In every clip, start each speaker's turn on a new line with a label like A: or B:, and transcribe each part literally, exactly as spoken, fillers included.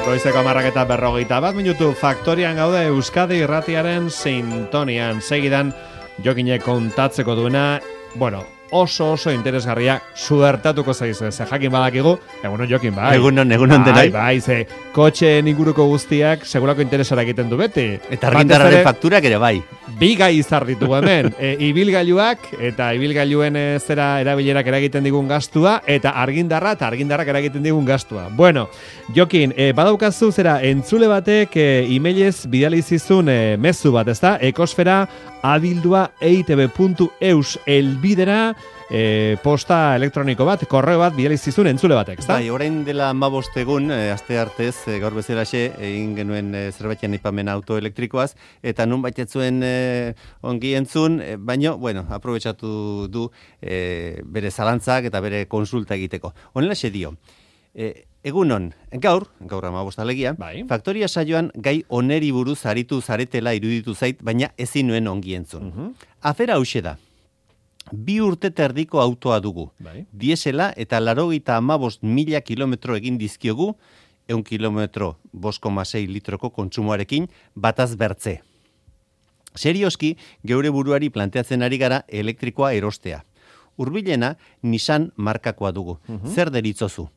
A: Goizeko hamarrak eta berrogeita bat minutu Faktorian gaude Euskadi irratiaren sintonian. Segidan Jokinek kontatzeko duena, bueno, oso oso interesgarria suertatuko zaizu. Ze jakin badakigu, egunon Jokin, bai.
B: Egunon, egunon denai.
A: Bai, bai, ze kotxeen inguruko guztiak segurako interesara egiten du beti.
B: Eta argindarraren fakturak ere bai.
A: Bi gai izar ditugu hemen, e, ibilgailuak eta ibilgailuen e, zera erabilerak eragiten digun gastua eta argindarra eta argindarrak eragiten digun gastua. Bueno, Jokin, e, badaukazu zera entzule batek e, emailez bidali zizun e, mezu bat, ezta? Ekosfera abildua eitb puntu eus elbidera E, posta elektroniko bat, korreo bat bidali zizun entzule batek, ezta?
B: Bai, orain dela hamabost egun, e, aste artez, e, gaur bezalaxe, egin genuen e, zerbaitean aipamen autoelektrikoaz, eta nun baitetzuen e, ongi entzun, e, baino, bueno, aprobetxatu du e, bere zalantzak eta bere konsulta egiteko. Honelaxe dio, e, egunon, gaur, gaur hamabost alegia,
A: bai.
B: Faktoria saioan gai oneri buruz aritu zaretela iruditu zait, baina ezin nuen ongi entzun. Uh-huh. Afera hauxe da. Bi urte terdiko autoa dugu. Bai. Diesela eta larogeita hamabost mila kilometro egin dizkiogu, eun kilometro bost koma sei litroko kontsumoarekin bataz bertze. Serioski, geure buruari planteatzen ari gara elektrikoa erostea. Hurbilena Nissan markakoa dugu. Uh-huh. Zer deritzozu?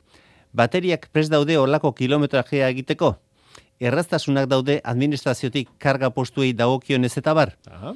B: Bateriak prest daude olako kilometrajea egiteko? Erraztasunak daude administraziotik karga postuei dagokionez eta bar? Aha.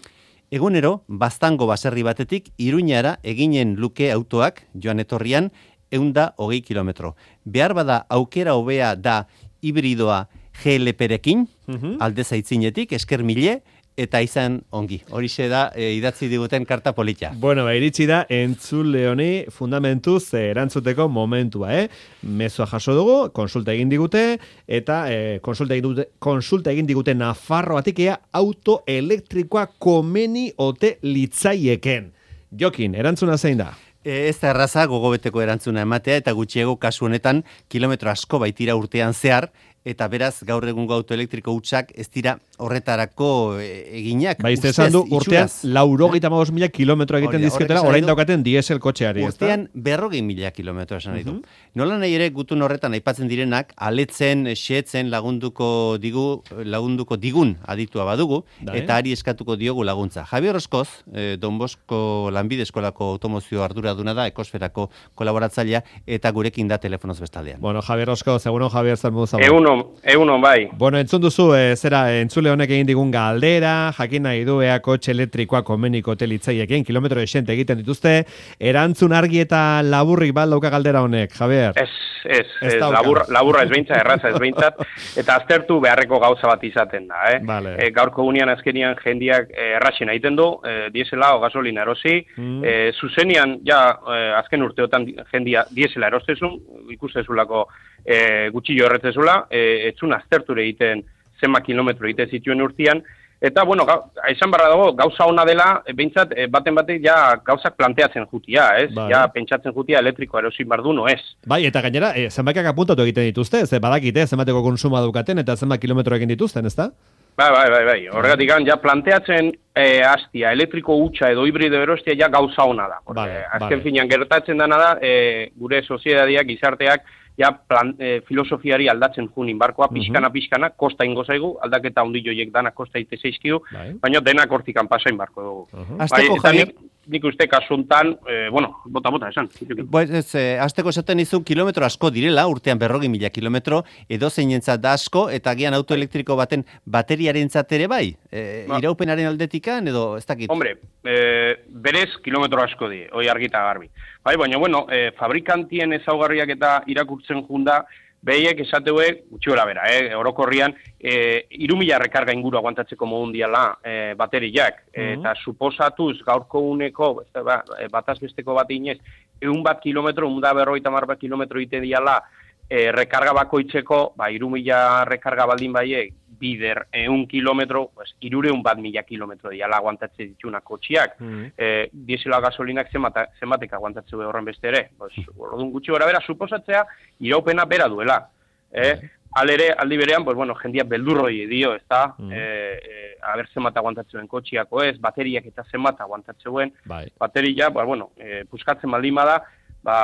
B: Egunero, Baztango baserri batetik Iruñara eginen luke autoak, joan etorrian, eunda hogei kilometro. Behar bada aukera hobea da hibridoa G L P-rekin, uh-huh. alde zaitzinetik, esker mile, eta izan ongi. Horixe da e, idatzi diguten karta polita.
A: Bueno, ba, iritsi da entzule honi fundamentuz erantzuteko momentua, eh? Mezua jaso dugu, konsulta egin digute, eta eh, konsulta, egin digute, konsulta egin digute Nafarroatik ea auto elektrikoa komeni ote litzaieken. Jokin, erantzuna zein da?
B: E, ez da erraza gogobeteko erantzuna ematea, eta gutxiego kasu honetan kilometro asko baitira urtean zehar, eta beraz gaur egungo autoelektriko hutsak ez dira horretarako eginak.
A: Baiz, esan du, urtean laurogeita hamabost mila kilometro egiten dizketela, orain daukaten diesel kotxeari.
B: Urtean berrogei mila kilometro esan nahi du. Uh-huh. Nola nahi ere gutun horretan aipatzen direnak, aletzen, xeetzen lagunduko digu, lagunduko digun aditua badugu, Dai. Eta ari eskatuko diogu laguntza. Javier Oskoz, eh, Don Bosco Lanbide Eskolako automozio arduraduna da, Ekosferako kolaboratzailea, eta gurekin da telefonoz bestaldean.
A: Bueno, Javier Oskoz, egunon Javier, zer modu zago?
C: Egunon, egunon bai.
A: Bueno, entzun duzu, e, zera, entzule honek egin digun galdera, jakin nahi du ea kotxe elektrikoa komeniko telitzaiekin, kilometro esente egiten dituzte, erantzun argi eta laburrik bat dauka galdera honek, Javier?
C: Ez, ez, ez labur, laburra ez behintzat, erraza ez behintzat, eta aztertu beharreko gauza bat izaten da, eh?
A: Vale.
C: E, gaurko gunean azkenian jendiak e, erraxen egiten du, e, diesela o gasolina erosi, mm. e, zuzenian, ja, e, azken urteotan jendia diesela erostezun, ikustezulako e, gutxillo erretzezula, e, etzun azterture egiten zenba kilometro egite zituen urtean, eta, bueno, ga, esan barra dago, gauza ona dela, e, behintzat, e, baten batek ja gauzak planteatzen jutia, ez? Bai. Ja, pentsatzen jutia elektrikoa erosin bardu, no ez?
A: Bai, eta gainera, e, zenbakak apuntatu egiten dituzte, ze badakite, zenbateko konsuma dukaten, eta zenbat kilometro egin dituzten, ezta?
C: Bai, bai, bai, bai. Horregatik, ja, planteatzen e, hastia, elektriko hutsa edo hibrido erostia ja gauza ona da. Vale, azken vale. Finean gertatzen dana da, e, gure soziedadiak, gizarteak, ja plan, e, filosofiari aldatzen junin barkoa, pixkana, pixkana, kosta ingo zaigu, aldaketa hundi joiek dana kosta ite zeizkidu, baina denak hortikan pasain barko dugu.
B: Uh-huh. Azteko,
C: bai, nik, nik uste kasuntan, e, bueno, bota, bota, esan.
B: Pues, ez, eh, azteko esaten izun kilometro asko direla, urtean berrogi mila kilometro, edo zeinentzat da asko, eta gian autoelektriko baten bateriaren ere bai? E, ba. Iraupenaren aldetikan, edo ez dakit?
C: Hombre, e, berez kilometro asko di, hoi argita garbi. Bai, baina, bueno, e, fabrikantien ezaugarriak eta irakurtzen junda, behiek esateuek, gutxi gora bera, eh, orokorrian, e, irumila rekarga inguru aguantatzeko modun diala e, bateriak, mm-hmm. eta suposatuz gaurko uneko, ba, bataz besteko bat inez, eun bat kilometro, eun da berroita mar bat kilometro ite diala, e, rekarga bakoitzeko, ba, irumila rekarga baldin baiek, bider eun kilometro, pues, irureun bat mila kilometro diala aguantatze dituna kotxiak. Mm-hmm. E, diesela gasolinak zenbat, zenbatek aguantatze horren beste ere. Pues, orduan gutxi gora bera, suposatzea, iraupena bera duela. Eh? Alere, aldi berean, pues, bueno, jendia beldurroi dio, ez da? Mm-hmm. E, e, aber zenbat aguantatzeen kotxiako ez, bateriak eta zenbat aguantatzeen. Bai. Bateria, ba, bueno, e, puskatzen baldin bada, ba,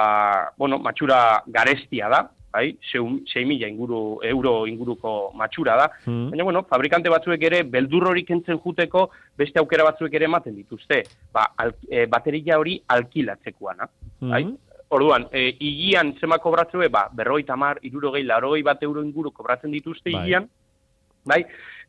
C: bueno, matxura garestia da, bai, sei mila inguru, euro inguruko matxura da,
A: mm.
C: baina, bueno, fabrikante batzuek ere, beldur hori kentzen juteko, beste aukera batzuek ere ematen dituzte, ba, al, e, bateria hori alkilatzekoana,
A: mm.
C: bai, orduan, e, higian zema kobratzue, ba, berroi tamar, irurogei, larogei bat euro inguru kobratzen dituzte
A: bai.
C: higian, bai,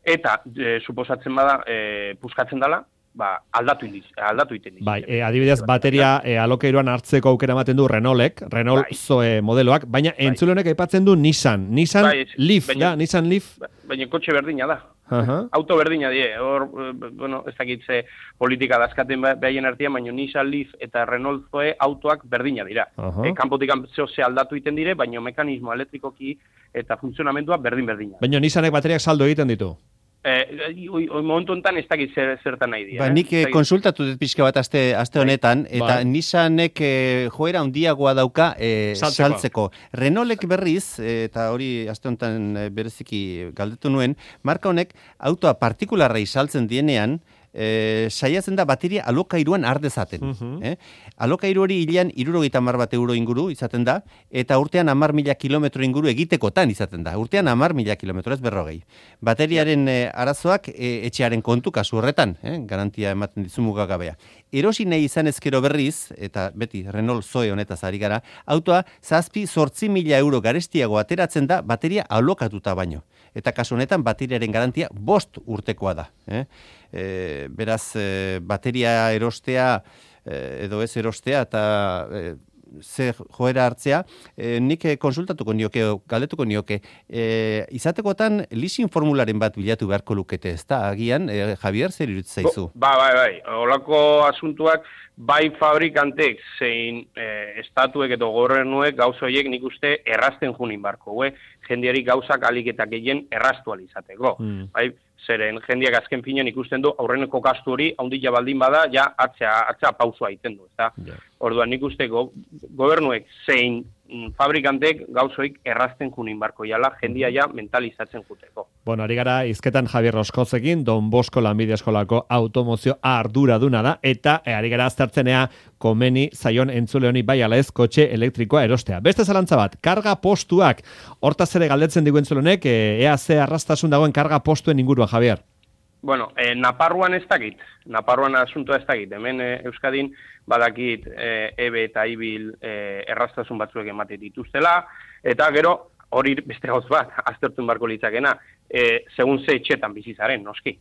C: eta e, suposatzen bada, e, puskatzen dela, ba, aldatu indiz, aldatu iten diz.
A: Bai, e, adibidez, bateria e, alokairuan hartzeko aukera ematen du Renaultek, Renault
C: bai.
A: Zoe modeloak, baina bai. Entzulenek aipatzen du Nissan, Nissan
C: bai,
A: Leaf,
C: baina,
A: da, Nissan Leaf.
C: Baina kotxe berdina da.
A: Uh-huh.
C: Auto berdina die, hor, bueno, ez dakitze politika dazkaten behaien artean, baina Nissan Leaf eta Renault Zoe autoak berdina dira. Uh-huh. E, kanpotik ze aldatu iten dire, baina mekanismo elektrikoki eta funtzionamendua berdin-berdina.
A: Baina Nissanek bateriak saldo egiten ditu.
C: Eh, oi, oi, momentu honetan ez dakit zer, zertan nahi dira.
B: Ba, nik eh, konsultatu dut pixka bat aste, aste honetan, eta
A: bai.
B: Nissanek eh, joera handiagoa dauka eh,
A: saltzeko.
B: saltzeko. Renaultek berriz, eh, eta hori aste honetan eh, bereziki galdetu nuen, marka honek autoa partikularrei saltzen dienean, E, saiatzen da bateria alokairuan ardezaten.
A: Uh-huh.
B: eh? Alokairu hori hilean hirurogeita hamar bat euro inguru izaten da, eta urtean hamar mila kilometro inguru egitekotan izaten da. Urtean hamar mila kilometro ez berrogei. Bateriaren e, arazoak e, etxearen kontu kasu horretan, eh? Garantia ematen dizu mugagabea. Erosi nahi izan ezkero berriz, eta beti Renault Zoe honetaz ari gara, autoa zazpi zortzi mila euro garestiago ateratzen da bateria alokatuta baino. Eta kasu honetan bateriaren garantia bost urtekoa da. Eh? E, beraz, e, bateria erostea e, edo ez erostea eta e, ze joera hartzea, e, nik konsultatuko nioke, galdetuko nioke, e, izatekotan leasing formularen bat bilatu beharko lukete, ez da, agian, e, Javier, zer iruditzen zaizu?
C: Ba, bai, bai, olako asuntuak, bai fabrikantek zein e, estatuek edo gobernuek gauza horiek nik uste errazten junin barko, we? Jendiari gauzak aliketak gehien erraztu alizateko. Mm. Bai, zeren jendiak azken finean ikusten du aurreneko gastu hori handia baldin bada ja atzea atzea pausua egiten du, ezta? Yeah. Orduan nik uste go, gobernuek zein mm, fabrikantek gauzoik errazten junin barko jala jendia ja mentalizatzen juteko.
A: Bueno, ari gara hizketan Javier Roskozekin, Don Bosco lanbide eskolako automozio arduraduna da, eta e, ari gara aztertzenea komeni zaion entzule honi bai ala ez kotxe elektrikoa erostea. Beste zalantza bat, karga postuak, hortaz ere galdetzen digu entzule honek, e, ea ze arrastasun dagoen karga postuen inguruan, Javier?
C: Bueno, eh, Naparruan ez dakit, Naparruan asuntoa ez dakit, hemen eh, Euskadin badakit eh, ebe eta ibil eh, errastasun batzuek emate dituztela, eta gero hori beste gauz bat, aztertun barko litzakena, eh, segun ze etxetan bizizaren, noski.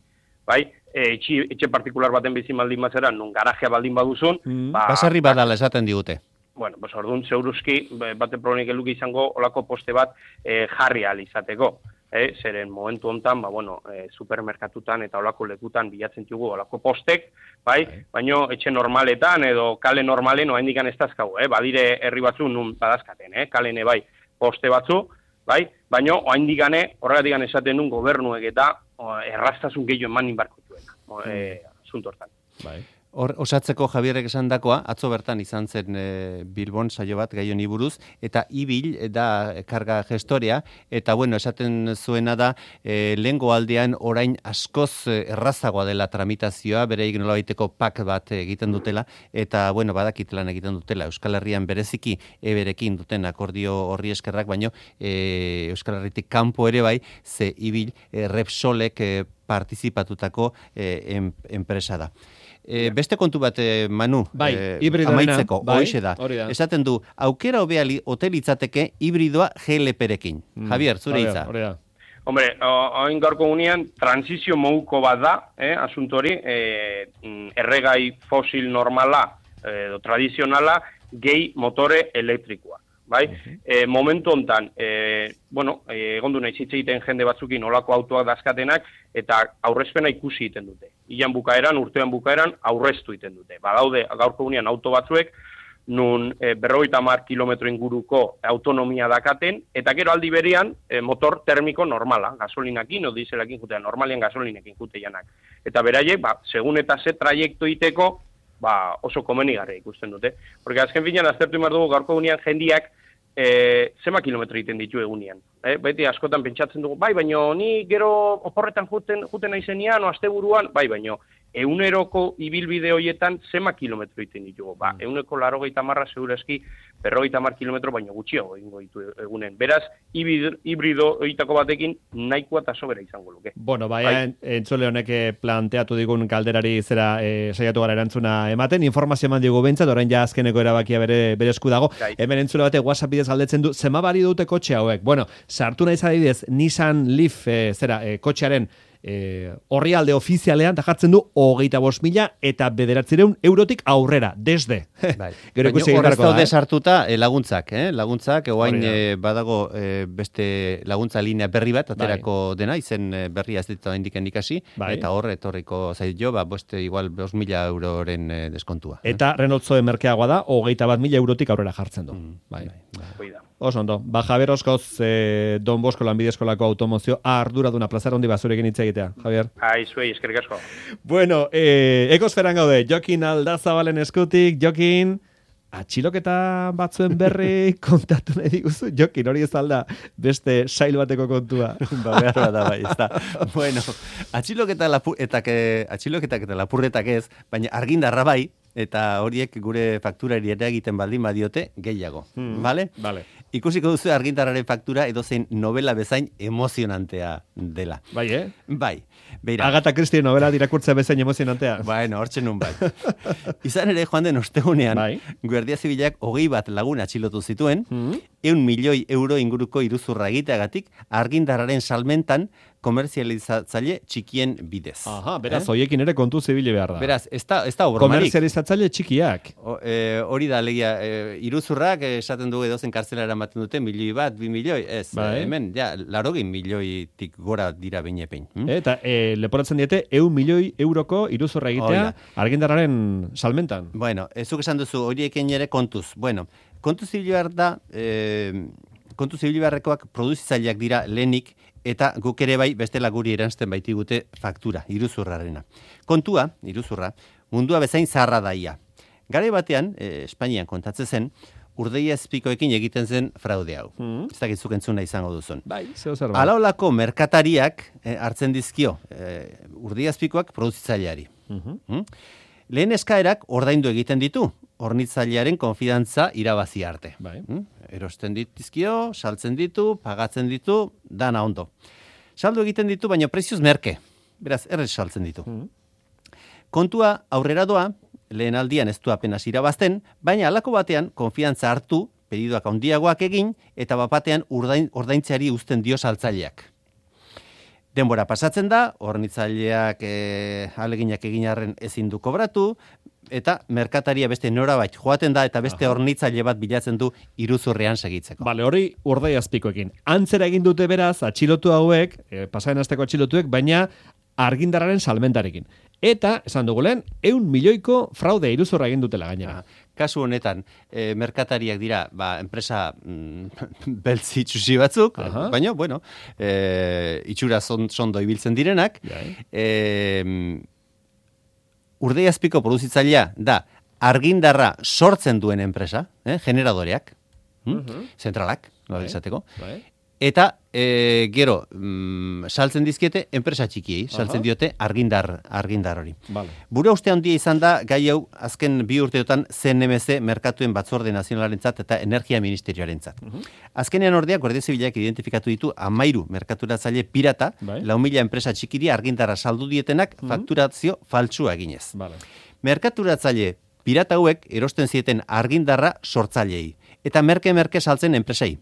C: Bai, eh, etxe, etxe partikular baten bizi baldin bazera, nun garajea baldin baduzun,
B: mm. ba, basarri badala esaten digute.
C: Bueno, pues orduan zeuruzki, bate problemik eluki izango olako poste bat eh, jarri ahal izateko. Eh, zeren momentu hontan, ba, bueno, eh, supermerkatutan eta olako lekutan bilatzen dugu olako postek, bai, okay. Baino etxe normaletan edo kale normalen oraindik ez dazkagu, eh, badire herri batzu nun badazkaten, eh, kalene bai, poste batzu, bai, baino oraindik horregatik esaten duen gobernuek eta o, erraztasun gehiago emanin barko duena, mm. eh, asunto hortan.
B: Bai. Hor, osatzeko Javierrek esan dakoa, atzo bertan izan zen e, Bilbon saio bat gai honi buruz, eta ibil da karga gestorea, eta bueno, esaten zuena da, e, lehengo aldean orain askoz errazagoa dela tramitazioa, bere nolabaiteko pak bat egiten dutela, eta bueno, badakit lan egiten dutela, Euskal Herrian bereziki eberekin duten akordio horri eskerrak, baino e, Euskal Herritik kanpo ere bai, ze ibil e, Repsolek e, partizipatutako e, em, enpresa da. E, beste kontu bat, e, Manu,
A: bai,
B: e, amaitzeko,
A: bai,
B: hoxe da. da. Esaten du, aukera hobea hotelitzateke hibridoa G L P-rekin. Mm, Javier, zure hitza.
C: Hombre, hain gaurko gunean, transizio moduko bat da, eh, asuntori, eh, erregai fosil normala, edo eh, tradizionala, gehi motore elektrikoa. Bai? Uh-huh. E, momentu hontan, e, bueno, egon du nahi zitze egiten jende batzukin olako autoak dazkatenak, eta aurrezpena ikusi egiten dute. Ilan bukaeran, urtean bukaeran, aurreztu egiten dute. Badaude, gaurko gunean auto batzuek, nun e, berrogeita hamar kilometro inguruko autonomia dakaten, eta gero aldi berean, e, motor termiko normala, gasolinakin, o dieselakin jutean, normalian gasolinekin jute janak. Eta beraiek, ba, segun eta ze traiektu iteko, ba, oso komenigarria ikusten dute. Porque azken finean, aztertu imar dugu, gaurko gunean jendiak, E, zema kilometro egiten ditu egunean. E, beti askotan pentsatzen dugu, bai, baino ni gero oporretan juten, juten aizenian, o asteburuan, bai, baino eguneroko ibilbide horietan zema kilometro iten ditugu. Ba, eguneko larogeita marra segurazki berrogeita mar kilometro baino gutxiago egingo ditu egunen. Beraz, hibrido horietako batekin nahikoa eta sobera izango luke.
A: Bueno, baina entzule honek planteatu digun galderari zera e, saiatu gara erantzuna ematen, informazio eman digu bentsat, orain ja azkeneko erabakia bere, bere esku dago. Gai. Hemen entzule bate WhatsApp bidez galdetzen du, zema bari dute kotxe hauek? Bueno, sartu nahi zadidez Nissan Leaf e, zera, e, kotxearen E, orrialde ofizialean da jartzen du hogeita bost mila eta bederatzireun eurotik aurrera, desde.
B: Bai. Gero ikusi horrez daude sartuta eh, laguntzak, eh? laguntzak, egoain eh, badago eh, beste laguntza linea berri bat, aterako bai. dena, izen berria ez ditu indiken ikasi, bai. eta horre etorriko zait jo, ba, boste igual bost mila euroren eh, deskontua.
A: Eta eh? Renault Zoe merkeagoa da, hogeita bat mila eurotik aurrera jartzen du. Mm, bai. bai. bai. Oso ondo, ba Javier Oskoz, eh, Don Bosco Lanbide Eskolako automozio arduraduna plazara hondi bazurekin hitz egitea, Javier.
C: Ai, zuei, eskerrik asko.
A: Bueno, eh, ekosferan gaude, Jokin Aldazabalen eskutik, Jokin, atxiloketa batzuen berri kontatu nahi diguzu, Jokin, hori ez alda beste sail bateko kontua.
B: Ba, behar bat da, bai, ez da. Bueno, atxiloketa, lapu, etak, atxiloketak eta lapurretak ez, baina argindarra bai, eta horiek gure fakturari ere egiten baldin badiote gehiago, hmm. vale?
A: Vale.
B: Ikusiko duzu argindarraren faktura edozein novela bezain emozionantea dela.
A: Bai, eh?
B: Bai. Beira.
A: Agatha Christie novela dirakurtzea bezain emozionantea.
B: Bueno, hortxe nun bai. Izan ere joan den ostegunean, bai. Guardia Zibilak hogei bat lagun atxilotu zituen, hmm. eun milioi euro inguruko iruzurra egiteagatik argindarraren salmentan komerzializatzaile txikien bidez.
A: Aha, beraz, eh? Hoiekin ere kontu zibili behar da.
B: Beraz, ez da, ez da obromarik.
A: Komerzializatzaile txikiak.
B: O, e, hori da, legia, e, iruzurrak esaten dugu edozen kartzelara ematen dute, milioi bat, bi milioi, ez, bai. Hemen, ja, larogin milioitik gora dira beinepein. Hm?
A: Eta e, leporatzen diete, eun milioi euroko iruzurra egitea argindarraren salmentan.
B: Bueno, ezuk esan duzu, horiekin ere kontuz. Bueno, kontuz zibili behar da, e, kontuz zibili beharrekoak produzitzaileak dira lehenik, eta guk ere bai bestela guri eranzten baitigute faktura, iruzurrarena. Kontua, iruzurra, mundua bezain zaharra daia. Garai batean, e, Espainian kontatzen zen, urdeia azpikoekin egiten zen fraude hau. Mm. Ez dakizuk entzuna izango duzun.
A: Bai, zeo zer bai.
B: Alaolako merkatariak e, hartzen dizkio, e, urdeia azpikoak produzitzaileari. Mm-hmm. Mm? Lehen eskaerak ordaindu egiten ditu, hornitzailearen konfidantza irabazi arte.
A: Bai.
B: Mm? Erosten ditizkio, saltzen ditu, pagatzen ditu, dana ondo. Saldu egiten ditu, baina prezioz merke. Beraz, errez saltzen ditu. Mm. Kontua aurrera doa, lehen aldian ez du apenas irabazten, baina halako batean konfiantza hartu, pedidoak handiagoak egin, eta bapatean urdain, ordaintzeari uzten dio saltzaileak. Denbora pasatzen da, hornitzaileak e, aleginak egin arren ezin du kobratu, eta merkataria beste norabait joaten da, eta beste hornitzaile bat bilatzen du iruzurrean segitzeko.
A: Bale, hori urdai azpikoekin. Antzera egin dute beraz, atxilotu hauek, e, pasaren asteko atxilotuek, baina argindarraren salmentarekin. Eta, esan dugu lehen, eun milioiko fraude iruzurra egin dutela gainera.
B: Kasu honetan, e, merkatariak dira, ba, enpresa mm, beltzi txusi batzuk, Aha. baina, bueno, e, itxura sondo ibiltzen direnak, e, urdei azpiko produzitzailea da argindarra sortzen duen enpresa, eh, generadoreak, hm? uh-huh. zentralak, nola izateko, bai. Eta e, gero mm, saltzen dizkiete enpresa txikiei, saltzen Aha. diote argindar argindar hori.
A: Vale.
B: Bura uste handia izan da gai hau azken bi urteotan C N M C merkatuen batzorde nazionalarentzat eta energia ministerioarentzat. Uh-huh. Azkenean ordea Guardia Zibilak identifikatu ditu hamairu merkaturatzaile pirata, bai. lau mila enpresa txikiri argindarra saldu dietenak uh-huh. fakturazio faltsua eginez.
A: Vale.
B: Merkaturatzaile pirata hauek erosten zieten argindarra sortzaileei eta merke-merke saltzen enpresei.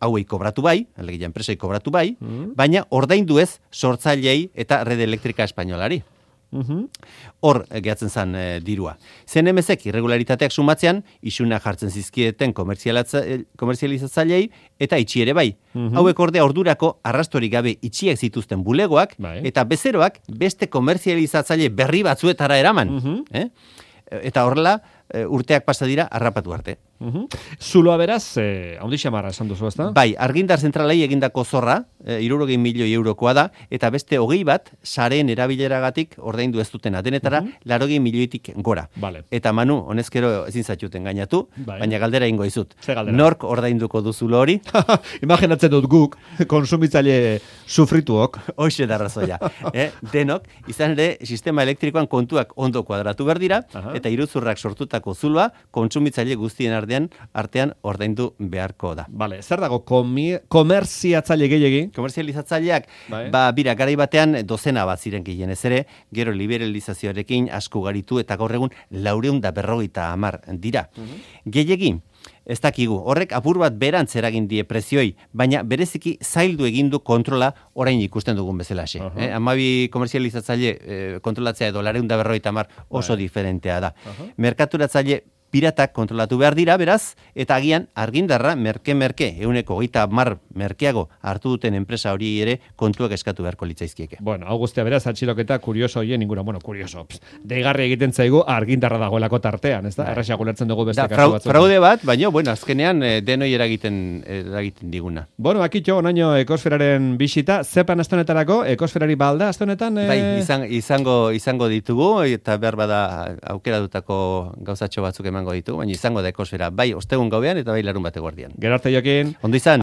B: Hauei kobratu bai, alegia enpresei kobratu bai, mm. baina ordaindu ez sortzaileei eta Red Elektrika Espainolari. Mm-hmm. Hor gehatzen zen e, dirua. C N M C-ek irregularitateak sumatzean, isuna jartzen zizkieten komerzializatzailei eta itxi ere bai. Mm-hmm. Hauek ordea ordurako arrastorik gabe itxiek zituzten bulegoak bai. Eta bezeroak beste komerzializatzaile berri batzuetara eraman. Mm-hmm. Eh? Eta horrela urteak pasa dira harrapatu arte.
A: Mhm. Zuloa beraz, eh, haundi xamarra esan duzu, ezta?
B: Bai, argindar zentralei egindako zorra, e, hirurogei milioi eurokoa da, eta beste hogei bat, sareen erabileragatik ordaindu ez dutena. Denetara, mm -hmm. larogei milioitik gora.
A: Vale.
B: Eta Manu, honezkero ezin zaituten gainatu,
A: bai.
B: baina galdera ingo izut.
A: Ze galdera?
B: Nork ordainduko du zulo hori?
A: Imaginatzen dut guk, konsumitzaile sufrituok.
B: Hoxe da razoia. eh? Denok, izan ere, sistema elektrikoan kontuak ondo kuadratu behar dira,
A: Aha.
B: eta iruzurrak sortutako zuloa, kontsumitzaile guztien artean, artean ordaindu beharko da.
A: Vale, zer dago komi- komerziatzaile gehiegi?
B: Komerzializatzaileak,
A: Bai.
B: ba, bira, garai batean dozena bat ziren gehienez ere, gero liberalizazioarekin asko garitu eta gaur egun laureun da berrogeita hamar dira.
A: Mhm.
B: Gehiegi, ez dakigu, horrek apur bat berantz eragin die prezioi, baina bereziki zaildu egin du kontrola orain ikusten dugun bezalaxe.
A: Aha.
B: Eh? Amabi komerzializatzaile eh, kontrolatzea edo laureun da berrogeita hamar oso
A: Bai.
B: diferentea da.
A: Aha.
B: Merkaturatzaile piratak kontrolatu behar dira, beraz, eta agian argindarra merke-merke, euneko hogeita mar merkeago hartu duten enpresa hori ere kontuak eskatu beharko litzaizkieke.
A: Bueno, hau guztia beraz, atxiloketa kurioso hoien ingura, bueno, kurioso, pss, deigarri egiten zaigu argindarra dagoelako tartean, ez da? Erraxak ulertzen dugu beste
B: Da,
A: kasu
B: frau,
A: batzuk.
B: fraude bat, baina, bueno, azkenean eh, denoi eragiten, eragiten diguna.
A: Bueno, akitxo, onaino ekosferaren bisita, zepan astonetarako, ekosferari balda astonetan? Eh...
B: Bai, izan, izango, izango ditugu, eta behar bada aukeratutako gauzatxo batzuk emango ditugu, baina izango da ekosfera, bai ostegun gauean eta bai larun bate guardian.
A: Gero arte, Jokin.
B: Ondo izan.